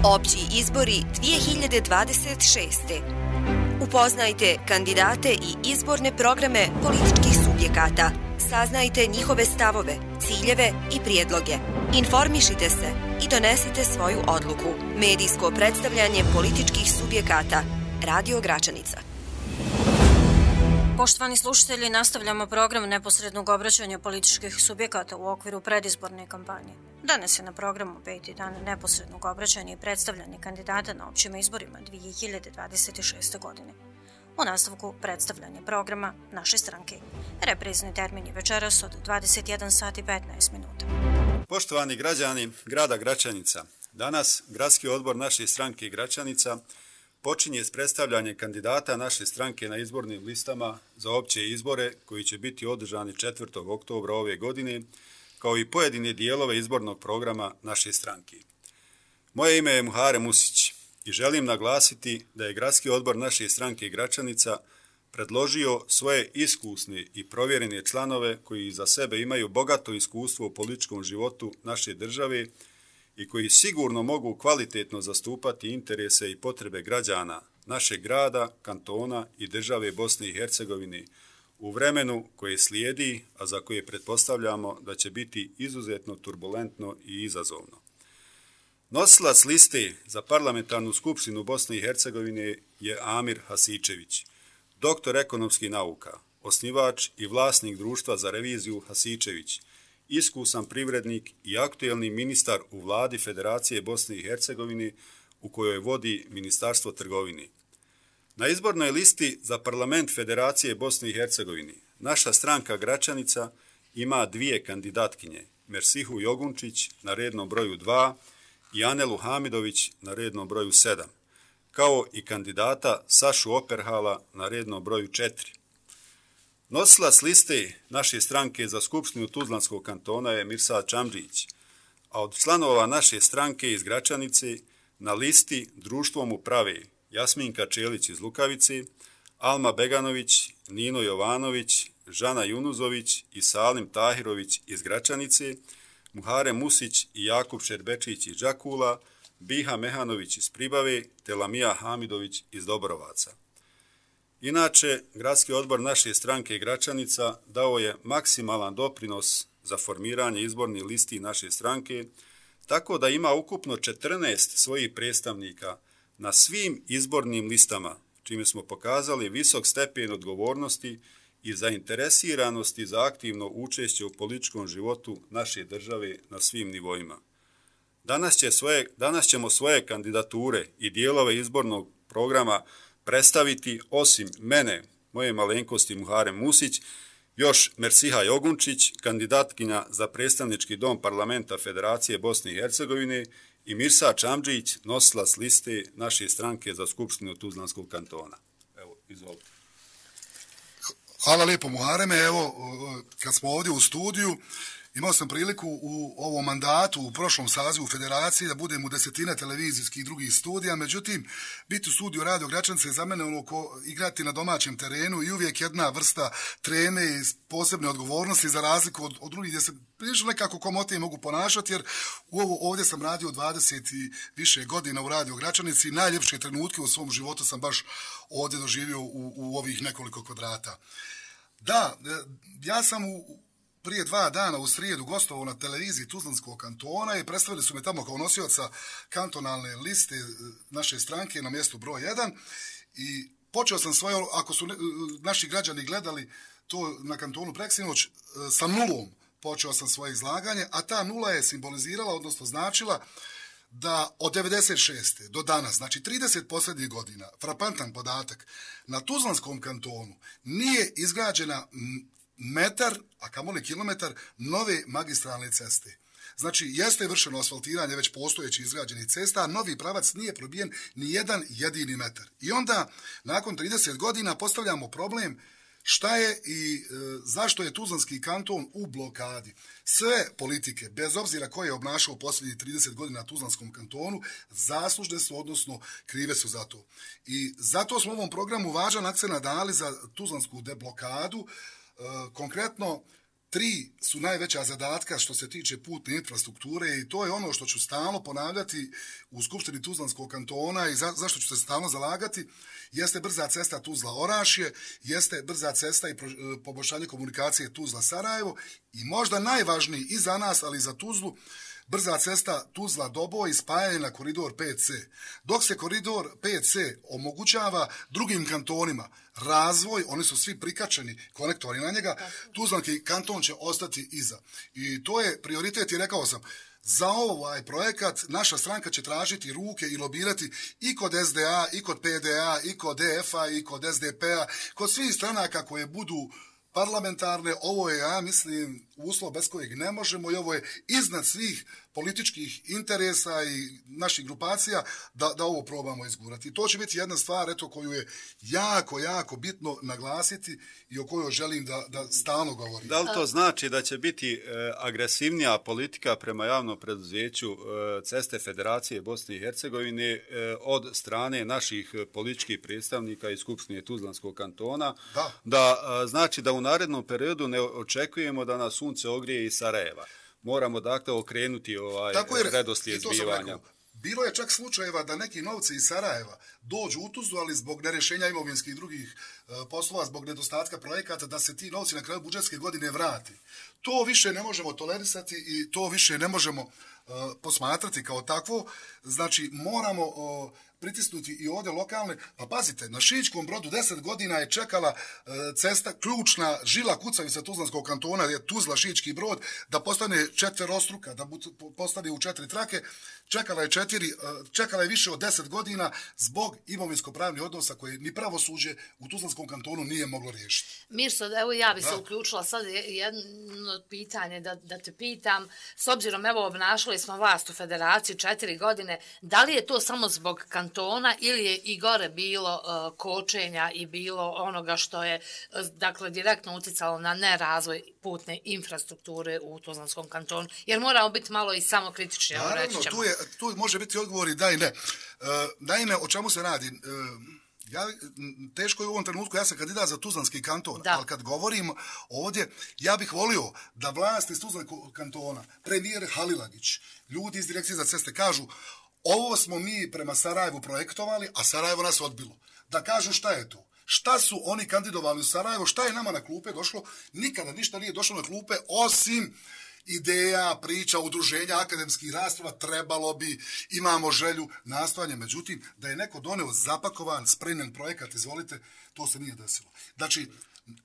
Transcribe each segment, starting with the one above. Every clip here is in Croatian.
Opći izbori 2026. Upoznajte kandidate i izborne programe političkih subjekata. Saznajte njihove stavove, ciljeve i prijedloge. Informišite se i donesite svoju odluku. Medijsko predstavljanje političkih subjekata. Radio Gračanica. Poštovani slušatelji, nastavljamo program neposrednog obraćanja političkih subjekata u okviru predizborne kampanje. Danas je na programu 5. dan neposrednog obraćanja i predstavljanja kandidata na općim izborima 2026. godine. U nastavku predstavljanje programa naše stranke. Reprizni termin je večeras od 21 sati 15 minuta. Poštovani građani grada Gračanica, danas Gradski odbor naše stranke Gračanica počinje s predstavljanjem kandidata naše stranke na izbornim listama za opće izbore koji će biti održani 4. oktobra ove godine, kao i pojedine dijelove izbornog programa naše stranke. Moje ime je Muharem Musić i želim naglasiti da je Gradski odbor naše stranke Gračanica predložio svoje iskusne i provjerene članove koji za sebe imaju bogato iskustvo u političkom životu naše države i koji sigurno mogu kvalitetno zastupati interese i potrebe građana našeg grada, kantona i države Bosne i Hercegovine u vremenu koje slijedi, a za koje pretpostavljamo da će biti izuzetno turbulentno i izazovno. Nosilac liste za parlamentarnu skupštinu Bosne i Hercegovine je Amir Hasičević, doktor ekonomskih nauka, osnivač i vlasnik društva za reviziju Hasičević, iskusan privrednik i aktuelni ministar u vladi Federacije Bosne i Hercegovine u kojoj vodi Ministarstvo trgovine. Na izbornoj listi za parlament Federacije Bosne i Hercegovine naša stranka Gračanica ima dvije kandidatkinje, Mersihu Jogunčić na rednom broju 2 i Anelu Hamidović na rednom broju 7, kao i kandidata Sašu Operhala na rednom broju 4. Nosilac liste naše stranke za skupštinu Tuzlanskog kantona je Mirsad Čamdžić, a od članova naše stranke iz Gračanice na listi društvom uprave Jasminka Čelić iz Lukavice, Alma Beganović, Nino Jovanović, Žana Junuzović i Salim Tahirović iz Gračanice, Muharem Musić i Jakub Šerbečić iz Đakula, Biha Mehanović iz Pribave te Lamija Hamidović iz Dobrovaca. Inače, Gradski odbor naše stranke Gračanica dao je maksimalan doprinos za formiranje izbornih listi naše stranke, tako da ima ukupno 14 svojih predstavnika na svim izbornim listama, čime smo pokazali visok stepen odgovornosti i zainteresiranosti za aktivno učešće u političkom životu naše države na svim nivoima. Danas ćemo svoje kandidature i dijelove izbornog programa predstaviti osim mene, moje malenkosti Muharem Musić, još Mersiha Jogunčić, kandidatkinja za predstavnički dom parlamenta Federacije Bosne i Hercegovine i Mirsad Čamdžić, nosilac liste naše stranke za skupštinu Tuzlanskog kantona. Evo, izvolite. Hvala lijepo Muhareme. Evo, kad smo ovdje u studiju, imao sam priliku u ovom mandatu, u prošlom sazivu Federacije, da budem u desetine televizijskih i drugih studija, međutim, biti u studiju Radio Gračanice je za mene ono ko igrati na domaćem terenu i uvijek jedna vrsta treme i posebne odgovornosti za razliku od drugih gdje se prilično nekako komotnije mogu ponašati, jer ovdje sam radio 20 i više godina u Radio Gračanici i najljepše trenutke u svom životu sam baš ovdje doživio u ovih nekoliko kvadrata. Da, ja sam prije 2 dana u srijedu gostovao na televiziji Tuzlanskog kantona i predstavili su me tamo kao nosioca kantonalne liste naše stranke na mjestu broj 1 i počeo sam svoje, ako su naši građani gledali to na kantonu preksinoć, sa nulom počeo sam svoje izlaganje, a ta nula je simbolizirala, odnosno značila da od 96. do danas, znači 30 posljednjih godina, frapantan podatak, na Tuzlanskom kantonu nije izgrađena metar, a kamoli kilometar, nove magistralne ceste. Znači, jeste vršeno asfaltiranje već postojeći izgrađenih cesta, a novi pravac nije probijen ni jedan jedini metar. I onda, nakon 30 godina, postavljamo problem šta je i zašto je Tuzlanski kanton u blokadi. Sve politike, bez obzira ko je obnašao posljednjih 30 godina na Tuzlanskom kantonu, zaslužne su, odnosno krive su za to. I zato smo u ovom programu važan akcent dali za Tuzlansku deblokadu. Konkretno, 3 su najveća zadatka što se tiče putne infrastrukture i to je ono što ću stalno ponavljati u Skupštini Tuzlanskog kantona i zašto ću se stalno zalagati, jeste brza cesta Tuzla-Orašje, jeste brza cesta i poboljšanje komunikacije Tuzla-Sarajevo i možda najvažniji i za nas, ali i za Tuzlu, brza cesta Tuzla-Doboj i spajanje na koridor 5C. Dok se koridor 5C omogućava drugim kantonima razvoj, oni su svi prikačeni konektori na njega, Tuzlanski kanton će ostati iza. I to je prioritet i rekao sam, za ovaj projekat naša stranka će tražiti ruke i lobirati i kod SDA, i kod PDA, i kod DF-a, i kod SDP-a, kod svih stranaka koje budu parlamentarne. Ovo je, ja mislim, uslov bez kojeg ne možemo i ovo je iznad svih političkih interesa i naših grupacija da ovo probamo izgurati. To će biti jedna stvar, eto, koju je jako, jako bitno naglasiti i o kojoj želim da stalno govorim. Da li to znači da će biti agresivnija politika prema javnom preduzeću Ceste Federacije Bosne i Hercegovine od strane naših političkih predstavnika iz Skupštine Tuzlanskog kantona? Da znači da u narednom periodu ne očekujemo da nas sunce ogrije iz Sarajeva. Moramo dakle okrenuti redoslijed zbivanja. Bilo je čak slučajeva da neki novci iz Sarajeva dođu u Tuzlu, ali zbog nerješenja imovinskih i drugih poslova, zbog nedostatka projekata, da se ti novci na kraju budžetske godine vrati. To više ne možemo tolerisati i to više ne možemo posmatrati kao takvo. Znači, moramo pritisnuti i ovdje lokalne. Pa pazite, na Šičkom Brodu 10 godina je čekala cesta, ključna žila kucavica Tuzlanskog kantona, je Tuzla-Šički Brod, da postane četverostruka, da postane u 4 trake. Čekala je više od 10 godina zbog imovinsko-pravnih odnosa koje ni pravosuđe u Tuzlanskom kantonu nije moglo riješiti. Mirso, evo ja bi se uključila sad jedno pitanje da te pitam. S obzirom, evo, obnašali smo vlast u Federaciji 4 godine, da li je to samo zbog kantona ili je i gore bilo kočenja i bilo onoga što je, dakle, direktno uticalo na nerazvoj putne infrastrukture u Tuzlanskom kantonu? Jer moramo biti malo i samokritični. Naravno, tu može biti odgovori da i ne. Naime, o čemu se radi? Teško je u ovom trenutku, ja sam kandidat za Tuzlanski kanton, ali kad govorim ovdje, ja bih volio da vlast iz Tuzlanskog kantona, premijer Halilagić, ljudi iz Direkcije za ceste kažu, ovo smo mi prema Sarajevu projektovali, a Sarajevo nas odbilo. Da kažu šta je to. Šta su oni kandidovali u Sarajevo, šta je nama na klupe došlo? Nikada ništa nije došlo na klupe, osim ideja, priča, udruženja, akademskih rasprava, trebalo bi, imamo želju, nastojanje. Međutim, da je neko doneo zapakovan, spremljen projekat, izvolite, to se nije desilo. Znači,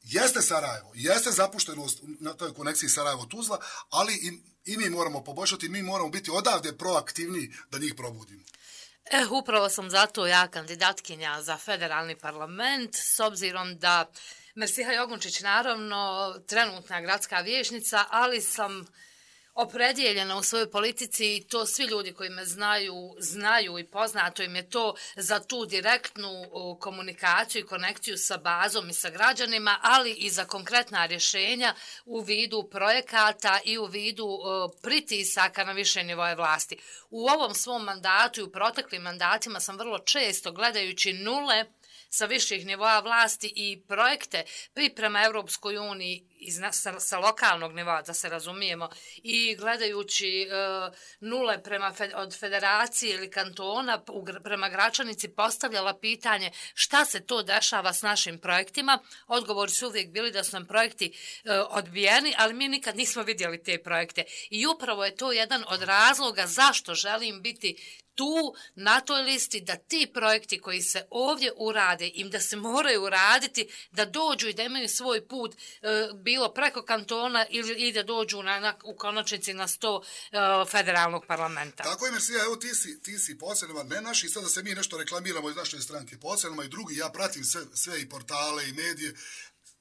jeste Sarajevo, jeste zapuštenost na toj konekciji Sarajevo-Tuzla, ali i mi moramo poboljšati, mi moramo biti odavde proaktivni da njih probudimo. Upravo sam zato ja kandidatkinja za federalni parlament, s obzirom da Mersiha Jogunčić, naravno, trenutna gradska vijećnica, ali sam opredijeljena u svojoj politici i to svi ljudi koji me znaju i poznato im je to za tu direktnu komunikaciju i konekciju sa bazom i sa građanima, ali i za konkretna rješenja u vidu projekata i u vidu pritisaka na više nivoje vlasti. U ovom svom mandatu i u proteklim mandatima sam vrlo često, gledajući nule sa viših nivoa vlasti i projekte priprema Europskoj uniji sa lokalnog nivoa, da se razumijemo, i gledajući nule od federacije ili kantona prema Gračanici postavljala pitanje šta se to dešava s našim projektima. Odgovori su uvijek bili da su nam projekti odbijeni, ali mi nikad nismo vidjeli te projekte. I upravo je to jedan od razloga zašto želim biti tu, na toj listi, da ti projekti koji se ovdje urade, im da se moraju uraditi, da dođu i da imaju svoj put, bilo preko kantona ili da dođu u konačnici na 100 federalnog parlamenta. Tako je, Mersija, evo ti si posebno, ne naši, sad da se mi nešto reklamiramo iz naše stranke, posebno i drugi, ja pratim sve i portale i medije,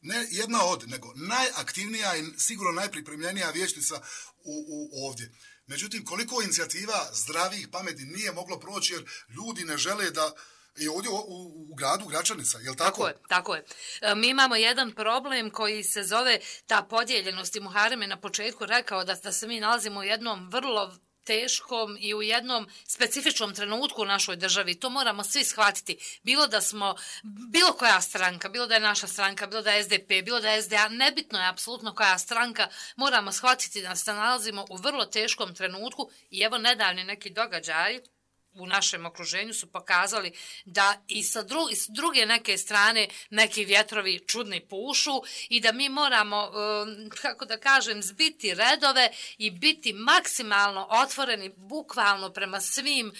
ne jedna od, nego najaktivnija i sigurno najpripremljenija vijećnica ovdje. Međutim, koliko inicijativa zdravih, pametnih nije moglo proći jer ljudi ne žele da je ovdje u gradu Gračanica, je li tako? Tako je. Mi imamo jedan problem koji se zove ta podijeljenost i Muharem je na početku rekao da se mi nalazimo u jednom vrlo teškom i u jednom specifičnom trenutku u našoj državi. To moramo svi shvatiti. Bilo da smo, bilo koja stranka, bilo da je naša stranka, bilo da je SDP, bilo da je SDA, nebitno je apsolutno koja stranka, moramo shvatiti da se nalazimo u vrlo teškom trenutku i evo nedavni neki događaji u našem okruženju su pokazali da i sa druge neke strane neki vjetrovi čudni pušu i da mi moramo, kako da kažem, zbiti redove i biti maksimalno otvoreni bukvalno prema svim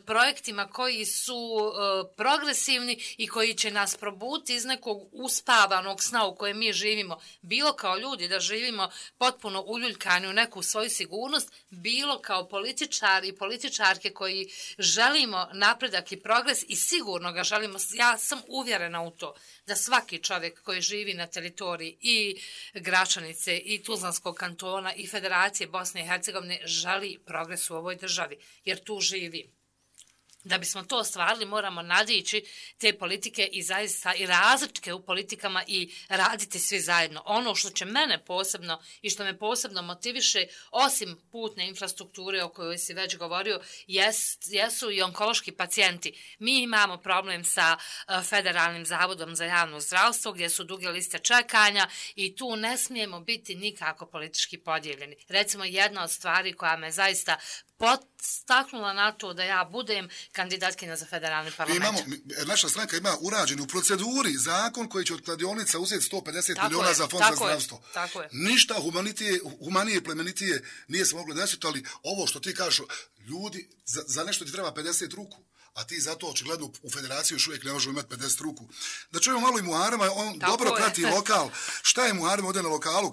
projektima koji su progresivni i koji će nas probuditi iz nekog uspavanog sna u kojem mi živimo. Bilo kao ljudi da živimo potpuno uljuljkani u neku svoju sigurnost, bilo kao političari i političarke koji želimo napredak i progres i sigurno ga želimo. Ja sam uvjerena u to da svaki čovjek koji živi na teritoriji i Gračanice i Tuzlanskog kantona i Federacije Bosne i Hercegovine želi progres u ovoj državi, jer tu živi. Da bismo to ostvarili moramo nadići te politike i zaista i različite u politikama i raditi svi zajedno. Ono što će mene posebno i što me posebno motiviše, osim putne infrastrukture o kojoj si već govorio, jesu i onkološki pacijenti. Mi imamo problem sa Federalnim zavodom za javno zdravstvo gdje su duge liste čekanja i tu ne smijemo biti nikako politički podijeljeni. Recimo jedna od stvari koja me zaista podstaknula na to da ja budem kandidatkinja za federalni parlament. Naša stranka ima urađen u proceduri zakon koji će od kladionica uzeti 150 miliona za fond za zdravstvo. Tako je. Ništa humanije, plemenitije nije se moglo desiti, ali ovo što ti kažeš, ljudi, za nešto ti treba 50 ruku, a ti zato očigledno u federaciji još uvijek ne možemo imati 50 ruku. Da čujemo malo i Muharema, on tako dobro prati lokal. Šta je Muharem ovdje na lokalu?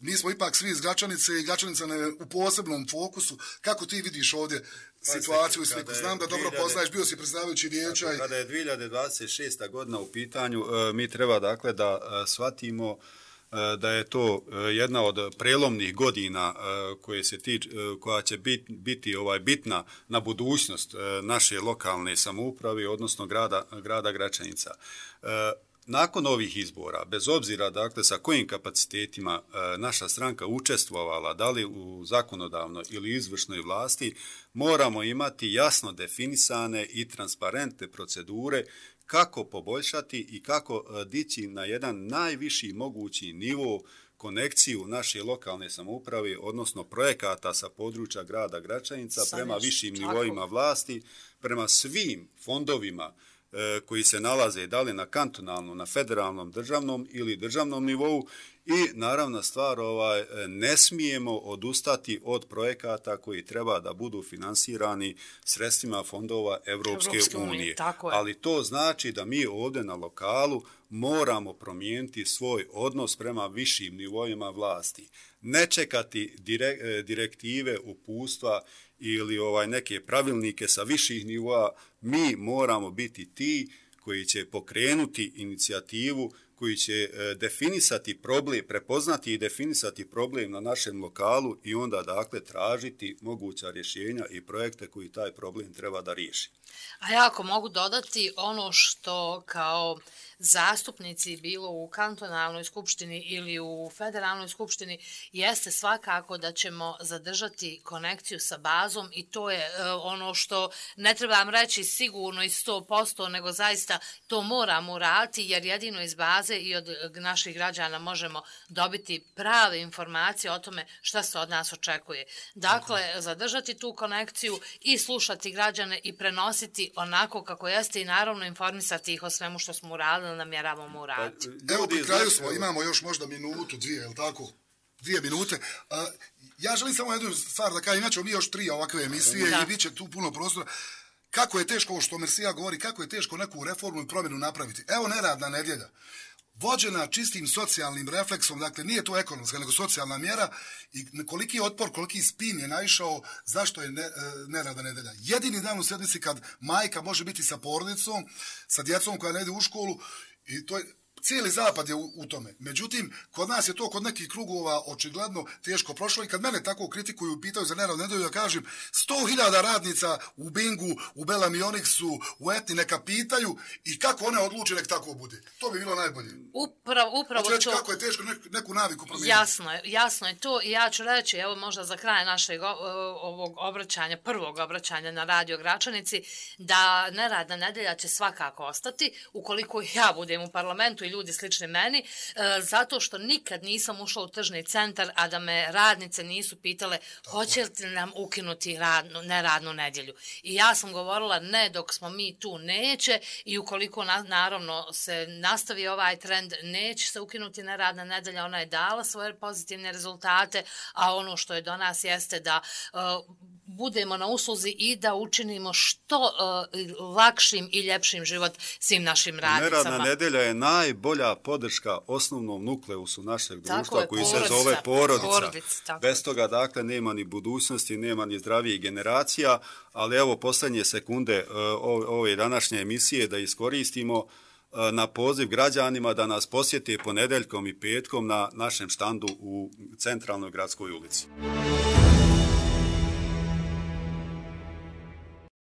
Mi smo ipak svi iz Gračanice i Gračanica u posebnom fokusu. Kako ti vidiš ovdje situaciju i sliku? Znam da dobro poznaješ, bio si predsjedavajući vijeća. Kada je 2026. godina u pitanju, mi treba dakle da shvatimo da je to jedna od prelomnih godina koja će biti bitna na budućnost naše lokalne samouprave, odnosno grada Gračanica. Nakon ovih izbora, bez obzira dakle sa kojim kapacitetima naša stranka učestvovala, da li u zakonodavnoj ili izvršnoj vlasti, moramo imati jasno definisane i transparentne procedure kako poboljšati i kako dići na jedan najviši mogući nivo konekciju naše lokalne samouprave, odnosno projekata sa područja grada Gračanica prema višim nivoima vlasti, prema svim fondovima koji se nalaze da li na kantonalnom, na federalnom, državnom ili državnom nivou i naravna stvar, ne smijemo odustati od projekata koji treba da budu finansirani sredstvima fondova Evropske unije. Ali to znači da mi ovdje na lokalu moramo promijeniti svoj odnos prema višim nivoima vlasti. Ne čekati direktive, uputstva ili neke pravilnike sa viših nivoa, mi moramo biti ti koji će pokrenuti inicijativu, koji će definisati problem, prepoznati i definisati problem na našem lokalu i onda dakle tražiti moguća rješenja i projekte koji taj problem treba da riješi. A ja ako mogu dodati ono što kao zastupnici bilo u kantonalnoj skupštini ili u federalnoj skupštini jeste svakako da ćemo zadržati konekciju sa bazom i to je ono što ne trebam reći sigurno i 100%, nego zaista to moramo uraditi jer jedino iz baze i od naših građana možemo dobiti prave informacije o tome šta se od nas očekuje. Dakle, zadržati tu konekciju i slušati građane i prenositi onako kako jeste i naravno informisati ih o svemu što smo uradili, namjeravamo uraditi. Evo, pri kraju smo, imamo još možda minutu, dvije, je li tako? 2 minute. Ja želim samo jednu stvar da kažem, inače mi još 3 ovakve emisije i bit će tu puno prostora. Kako je teško, što Mersija govori, kako je teško neku reformu i promjenu napraviti. Evo neradna nedjelja. Vođena čistim socijalnim refleksom, dakle nije to ekonomska, nego socijalna mjera i koliki otpor, koliki spin je naišao, zašto je neradna nedjelja. Jedini dan u sedmici kad majka može biti sa porodicom, sa djecom koja ne ide u školu i to je cijeli zapad je u tome. Međutim, kod nas je to kod nekih krugova očigledno teško prošlo i kad mene tako kritikuju, pitaju za neradnu nedjelju, ja kažem 100.000 radnica u Bingu, u Belam Ionixu, u Etni neka pitaju i kako one odluče nek tako bude. To bi bilo najbolje. Upravo reći, to. kako je teško neku naviku promijeniti. Jasno je to i ja ću reći, evo možda za kraj našeg ovog obraćanja, prvog obraćanja na Radio Gračanici, da neradna nedjelja će svakako ostati, ukoliko ja budem u parlamentu i ljudi slični meni, zato što nikad nisam ušla u tržni centar, a da me radnice nisu pitale hoće li nam ukinuti neradnu nedjelju. I ja sam govorila ne, dok smo mi tu neće i ukoliko naravno se nastavi ovaj trend, neće se ukinuti neradna nedjelja, ona je dala svoje pozitivne rezultate, a ono što je do nas jeste da budemo na usluzi i da učinimo što lakšim i ljepšim život svim našim radnicama. Neradna nedjelja je najbolja podrška osnovnom nukleusu našeg društva koji se zove porodica. Bez toga, dakle, nema ni budućnosti, nema ni zdravijih generacija, ali evo posljednje sekunde ove današnje emisije da iskoristimo na poziv građanima da nas posjete ponedjeljkom i petkom na našem štandu u centralnoj gradskoj ulici.